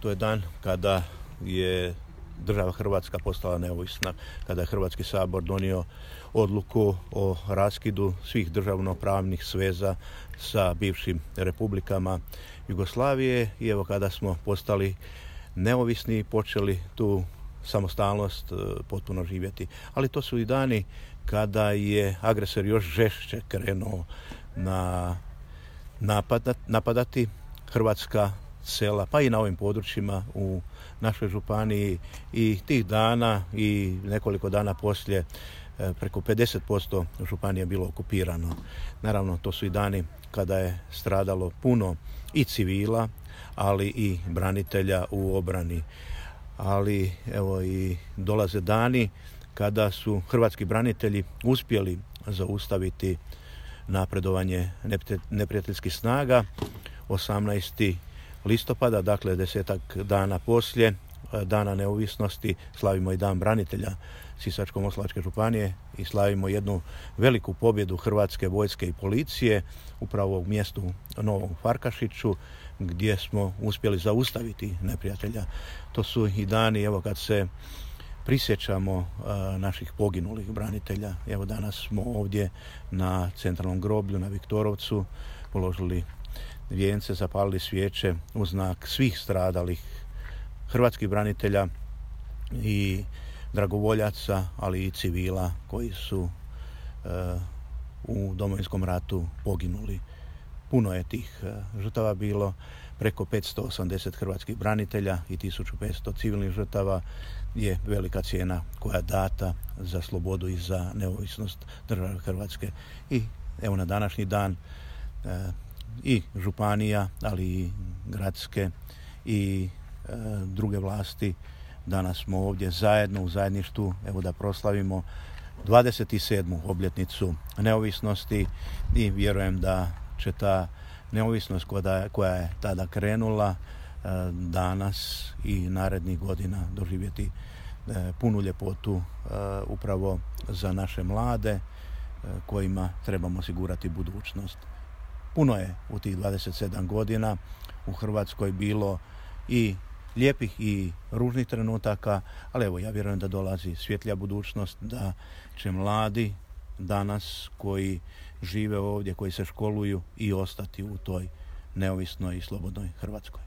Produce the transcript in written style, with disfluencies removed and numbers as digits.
To je dan kada je država Hrvatska postala neovisna, kada je Hrvatski sabor donio odluku o raskidu svih državnopravnih sveza sa bivšim republikama Jugoslavije i evo kada smo postali neovisni i počeli tu samostalnost potpuno živjeti. Ali to su i dani kada je agresor još žešće krenuo napadati hrvatska sela, pa i na ovim područjima u našoj županiji i tih dana i nekoliko dana poslije preko 50% županije bilo okupirano. Naravno, to su i dani kada je stradalo puno i civila, ali i branitelja u obrani. Ali evo i dolaze dani kada su hrvatski branitelji uspjeli zaustaviti napredovanje neprijateljskih snaga. 18. listopada, dakle 10 dana poslije Dana neovisnosti, slavimo i Dan branitelja Sisačko-moslavačke županije i slavimo jednu veliku pobjedu Hrvatske vojske i policije upravo u mjestu Novom Farkašiću, gdje smo uspjeli zaustaviti neprijatelja. To su i dani, evo kad se prisjećamo naših poginulih branitelja. Evo danas smo ovdje na centralnom groblju na Viktorovcu položili vijence, zapalili svijeće u znak svih stradalih hrvatskih branitelja i dragovoljaca, ali i civila koji su u Domovinskom ratu poginuli. Puno je tih žrtava bilo, preko 580 hrvatskih branitelja i 1500 civilnih žrtava je velika cijena koja je data za slobodu i za neovisnost države Hrvatske. I evo na današnji dan i županija, ali i gradske i druge vlasti, danas smo ovdje zajedno u zajedništvu, evo da proslavimo 27. obljetnicu neovisnosti i vjerujem da će ta neovisnost koja je tada krenula danas i narednih godina doživjeti punu ljepotu upravo za naše mlade kojima trebamo osigurati budućnost. Puno je u tih 27 godina u Hrvatskoj bilo i lijepih i ružnih trenutaka, ali evo ja vjerujem da dolazi svjetlija budućnost, da će mladi danas koji žive ovdje, koji se školuju i ostati u toj neovisnoj i slobodnoj Hrvatskoj.